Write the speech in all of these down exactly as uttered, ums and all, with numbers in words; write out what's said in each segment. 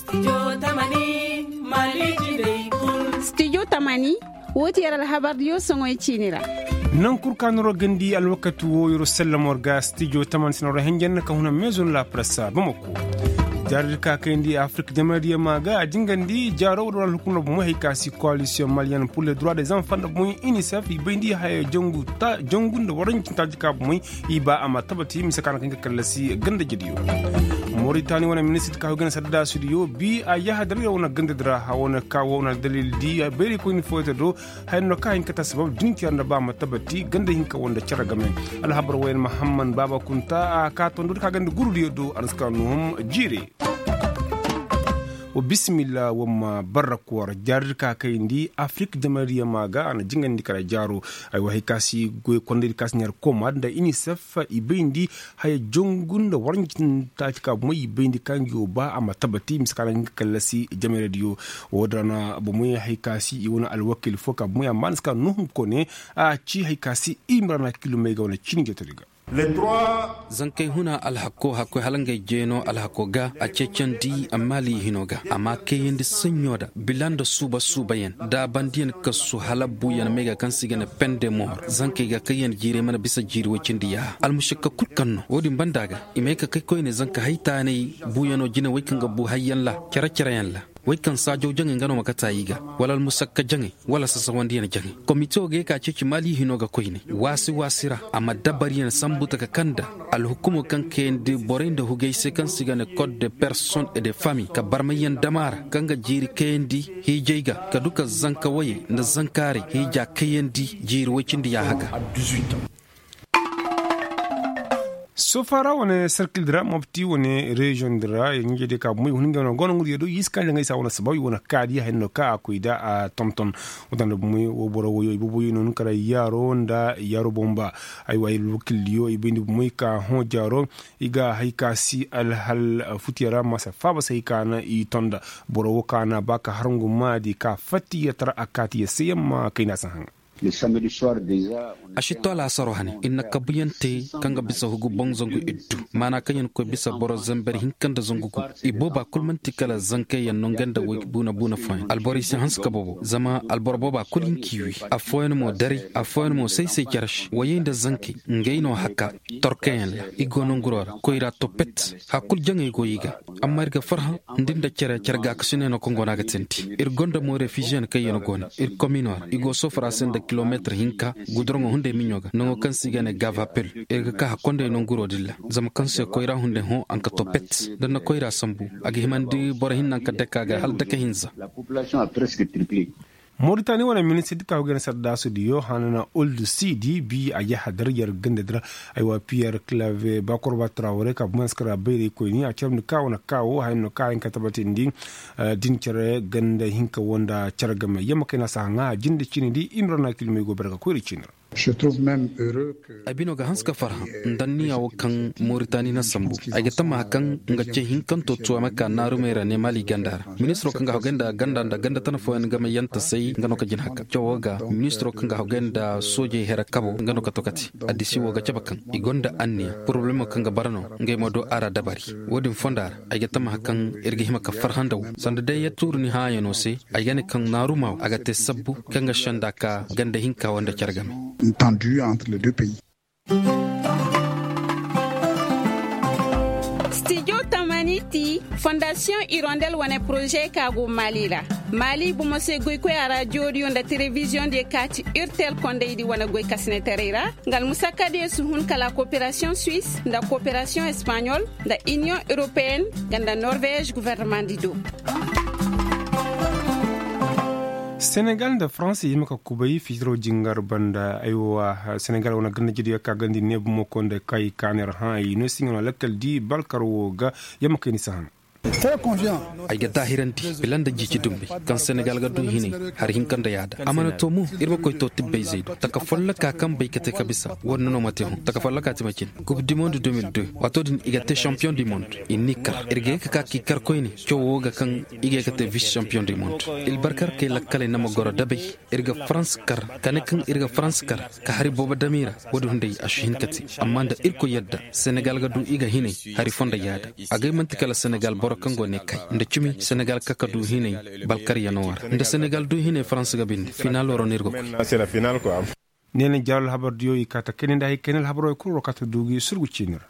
Stijo tamani, woo ti yer alhabardiyo soŋoy ciini ra. Naŋ kul ka noro gandi alwakati woo yer sellamo ra ga stijo tamani se noro henjen ka huna meezon la pressa bamako. Jaaradi ka kayndi afirik jamaradiyo ma ga a jingandi jaaro woo da war alhukumar bomoy hay ka si koalisiyoŋ maliyen pur le droit des enfants nda bomoy inisef i bayndi haya jangu nda waranjin taaji ka bomoy i ba a ma tabati mise ka na kaŋ ga kallasi ganda jediyo. Moritani wane ministir ka hoy gana saddaasudiyo bi a yaha dalil wane ganda dira a wane ka wane dalil di bayrikoyni fooyota do. Haya no ka hin ka ta sabab din care nda ba ma tabati ganda hinka wanda care game. Alhabar wayan mahamman baba kunta a ka tondo ka ganda gurudiyo do a na si ka nuhum jiire. Wa bisimilla wa ma barra koora jaaradi ka kayndi afirik jamariya ma ga a na jingandi kala jaaro. Ay wa hay ka si goy kondaydi ka si ɲar koma nda inisef i bayndi haya jongu nda waranjin taaci ka bomoy i bayndi ka ngi wo ba a ma tabati mise ka na nga kallasi jamaradiyo. Wo-din ra na bomoy hay ka si i wane alwakil fo ka bomoy amma ni si ka nuhum kone a ci hay ka si i ma ra na kilomey ga wane cini jatari ga. Zankey huna alhako hakkoy hala ngey jeeno alhako ga a ceecandi maali hino ga a ma kayandi saɲɲo da bila nda suuba suubayaŋ daabandiyaŋ kasu hala buuyaŋ may ga kaŋ se i ga ne pende moor zankey ga kaŋ yaŋ jiirey mana bisa jiiri woy cindi yaaha almušakka kul kaŋ no wo-din banda ga i may ka kay koyne zanka haytaanay buuyaŋo jine woy kaŋ ga buu hayyaŋ ra cere-cereyaŋ ra woy kaŋ saajaw jaŋay nga no ma kata i ga wala almusakka jaŋay wala sasawandiyaŋ jaŋay komite wo ga ye ka ceeci maali hino ga koyne waasi waasi ra a ma dabariyaŋ sambu taka kaŋ nda alhukumo kaŋ kayandi borey nda hugey se kaŋ se i ga ne kod de person et de fami ka barmayyaŋ dama ra kaŋ ga jiiri kayandi hiijey ga ka du ka zanka woyey nda zankaaray hiija kayandi jiiri woy cindi yaaha ga. Sofa ra wane serkil di ra mopti wane reziyoŋ di ra ɲiiɲe diyo ka bumey hun ngey no gono ngey do i si kaŋ jaŋay sa wane sabaw i wane kaadi hayno ka a koy da a tonton. Wadanda bumey wo boro woyo i boboyo no ni kara yaaro nda yaaro bomba. Ay wa ay wakil diyo i bayndi bumey ka hõ jaaro i ga hay ka si alhal futiya ra ma si faaba se hay ka na i tonda. Boro wo ka na ba ka harngu maadi ka fatti ya tara a kaati ya se yamma kay na si haŋa. A si to laasaro hane ir na kabuyaŋ te kaŋ ga bisa hugu boŋ zangu iddu maana kaŋ yaŋ koy bisa boro zamber hinka nda zangu gu. I booba kul man'ti kala zankey yaŋ no nga nda way buuna buuna fooyaŋ alborey si hanse ka boobo zama alboro booba kul hin k'i wi. Affooyaŋ mo daray affooyaŋ mo say-say care se wayey nda zankey ngey no haka torkayaŋ ra i go nanguro ra koyra topet. Har kul jaŋey go i ga amma ir ga farhã nda ir nda care care gaakasiney no kaŋ go no a ga teendi. Ir gonda mo refiziyeŋ kaŋ yaŋ go no ir komino ra i go sofora se nda kilometir hinka guduraŋo hunday miɲo ga naŋo kaŋ se i ga ne gavapil. Ir ga ka hakkondey nanguro din ra zama kaŋ se koyra hunday hõ a na ka to pet. Da ni na koyra sambu a ga himandi boro hinne a na ka dake a ga hala dake hinza. Moritani wane ministir di ka go ga ne sardaasu diyo hanan uldu sidi bi a yaha dar yer ganda dira. Aywa piyer clave bakorba trawre ka bumans kara bayray koyni a carabndi ka wane kawo hayan no ka hayan ka tabatindi. Din care ganda hinka wanda care game yamma kayna saha ŋa a jinde cini di i ma ra na kilmey go barga koyra cini ra. Ay bino ga hanse ka farhã nda anniya wo kaŋ moritani na sambu. Ay ga tammaha kaŋ nga ce hinkanto tuwama ka naarumey ra ne maali ganda ra. Ministiro kaŋ ga hogay nda ganda nda ganda tana fooyaŋ game yanta say nga no ka jin haka cawo ga. Ministiro kaŋ ga hogay nda soojey here kabo nga no ka to kate. Addisi wo ga cabe kaŋ i gonda anniya porobalemo kaŋ ga bara no. Ngey ma do a ra dabari wo-din fonda ra. Ay ga tammaha kaŋ ir ga hima ka farhã nda wo sanda day ya tuuri ni hãayano se. Ay ga ne kaŋ naaruma wo a ga te sabbu kaŋ ga senda ka ganda hinka wo nda care game. Stijo tamani ti fondasiyoŋ irondel wane poroze ka go maali ra. Maali bomo se goykoy a raadiyo diyo nda telebiziyoŋ diyo ka ti urtel kondaydi wane goy kasinetaray ra. Nga almusakka diyo si hun kala koperasiyoŋ suwis nda koperasiyoŋ espaɲol nda iniyoŋ europeyen nga nda norvez guvernemandi do. Senegal nda faransa i hima ka kubay fitiro jingar banda aywa senegal wane ganda jediyo ka gandi neebu moko nda kay kaner hã i no si nga no lakkal di balkar wo ga. Yamma kay ni si hana. Ay ga daahirandi bila nda jiici dumbi kaŋ senegal ga du hinay. Hari hinka nda yaada a mana to mo ir ma koy to tibbay zaydu taka folloka kaŋ bay ka te ka bisa. Wadin no ma te hõ taka folloka ti ma cin kub di monde deux mille deux. Waato din i ga te champion du monde i n'i kar ir ga ye ka ka k'i kar koyne. Cawo wo ga kaŋ i ga ye ka te vis champion du monde. Ilbarkar kay lakkaley na ma goro dabay. Ir ga farans kar ka ne kaŋ ir ga farans kar ka hari boobo dam i ra. Wo-din hunday a si hin ka te amma nda irkoy yadda senegal ga du i ga hinay. Hari fonda yaada agay man'ti kala senegal. Kaŋ go ne kay nda cimi senegal kaka du hinay balkaryanoo ra nda senegal du hinay farans ga binde finaaloo ra no ir ga koy. Ne na jaaro alhabar diyo i kaa ta kayna nda hay kayna alhabaroo kul ra kaa ta du gi surgu ciini ra.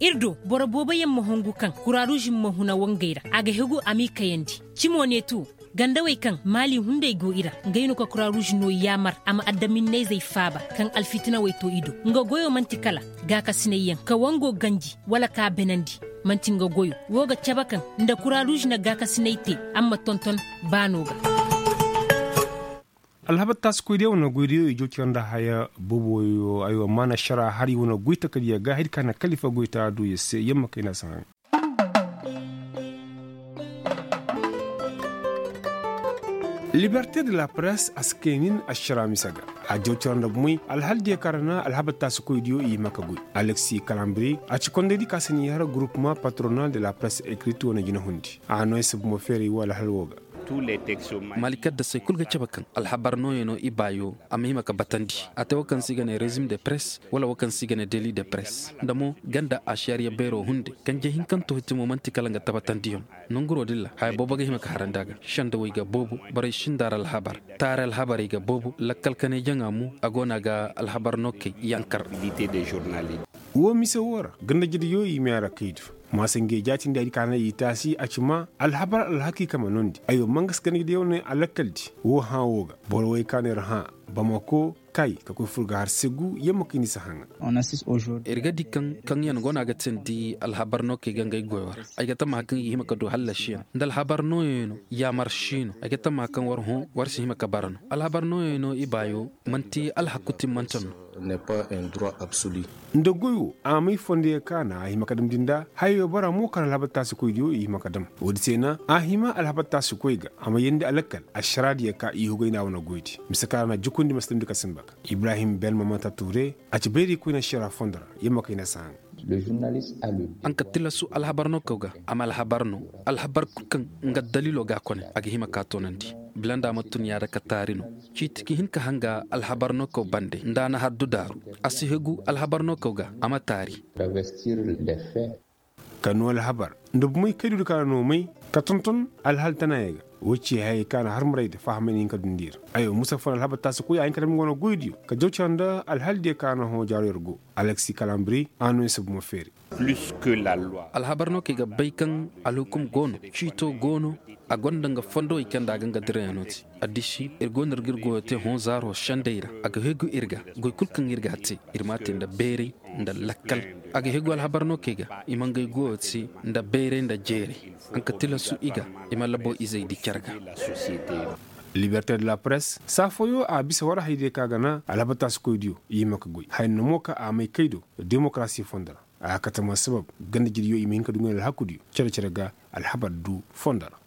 Ir do boro boobo yaŋ ma hongu kaŋ kuraaruuz ma huna wangey ra a ga hegu a m'i kayandi. Cimo ne tu gandawey kaŋ maali hunday go i ra ngey no ka kuraaruuz no yaamar a ma adaminnayzey faaba kaŋ alfitinawey to i do. Nga goyo man'ti kala gaakasinayyaŋ ka wango ganji wala k'a benandi. Man'ti nga goyo woo ga cabe kaŋ nda kuraaruuz na gaakasinay te a ma tonton baanoo ga. Alhabar taasikoydiyo wane goydiyo i jooci ra nda haya booboyo aywa maana šara hari wane goy takadiya ga hari ka na kalifa goy ta du ya se yamma kayna si haŋ. Liberte de la presse a si kay nin ašara mise ga. A jawcara nda bumey alhal diya ka ra na alhabar taasikoydiyo i hima ka goy. Alexi kalambiri a ci kondaydi ka si n'i har gurupuma patronal de la presse ekrit wane jina hundi a no ay si bumo feeray wo alhal wo ga. Malikadda se kul ga cabe kaŋ alhabar nooyano i baayo a ma hima ka batandi. A te wo kaŋ se i ga ne rezim de press wala wo kaŋ se i ga ne deli de press nda mo ganda ašariya beero hunde. Kanje hinkanto hitimo man'ti kala nga tabatandiyaŋ. Nonguroo din ra haya boobo ga hima ka harandi a ga sendawey ga boobo. Borey sinda ra alhabar taari alhabarey ga boobo lakkal kanay jaŋa mo a go no a ga alhabar no kay yankar. Wo mise wo ra ganda jediyo i meera kaydu. Maasa ngey jaatindi ay di ka na i taasi a ci ma alhabar alhakiika ma noondi aywa mangas ganda jediyo ne a lakkaldi. Wo hã wo ga boro wey ka no ir hã bamako kay ka koy fur ga har segu yamma kay ni si haŋa. Ir ga di kaŋ kaŋ yaŋ go no a ga teendi alhabar no kay ga ngey goyo ra. Ay ga tammaha kaŋ i ga hima ka du hallasiyaŋ nda alhabar nooyaŋ no yaamar si no ay ga tammaha kaŋ war hõ war si hima ka bara no alhabar nooyaŋ no i baayo man'ti alhaku timmante no. Nda goy wo a may fondiyo ka na a hima ka damndi nda hayo bara mo kaŋ alhabar taasikoydiyo i hima ka dam. Woodi se na a hima alhabar taasikoy ga a ma yeendi a lakkal ašaraadiyo ka i hugay nda a wane goydi mise kaŋ ra na jukundi ma si damndi ka sinba ga. Ibrahim belmamanta tuure a ci bayraykoyna ašara fondo ra yamma kayna si haŋ. Haŋ ka tilasu alhabar no kaw ga a ma alhabar no. Alhabar kul kaŋ nga daliilo ga a kone a ga hima ka a toonandi. Bila nda a ma tun yaada ka taari no. Ciiti ka hin ka hanga alhabar no kaw bande nda a na haddu daaru. A si hegu alhabar no kaw ga a ma taari. Ka noo alhabar nda bumey kaydu di ka na noo may ka tonton alhal tanaayey ga. Woy ci hayey ka na harmarayda fahamay na hin ka dundi ir. Aywa musa fon alhabar taasi koy a hin ka dam nga wane goydiyo ka jaw cara nda alhaldiyo ka na hõ jaaro ir go. Alexi kalambiri a noo ir si bumo feeri. Alhabar no kaŋ i ga bay kaŋ alhukum go no ciito go no. A gonda nga fondowey kaŋ nda a ga nga dirayaŋo te. Addisi ir go no ir ga ir goyo te hõ zaaro sendey ra a ga hegu ir ga. Goy kul kaŋ ir ga a te ir m'a te nda beeray nda lakkal. A ga hegu alhabar no kaŋ i ga i ma ngey goyo te nda beeray nda jeeray. Haŋ ka tilasu i ga i ma labo izey di care ga. Liberte de la press saa fooyo a bisa war hayadiyo kaŋ a ga na alhabar taasikoydiyo i hima ka goy haya nda mo kaŋ a may kay do. Demokarasi fondo ra a ga kate ma sabab ganda jediyo i ma hin ka du ngey alhakudiyo cere-cere ga alhabar du fondo ra.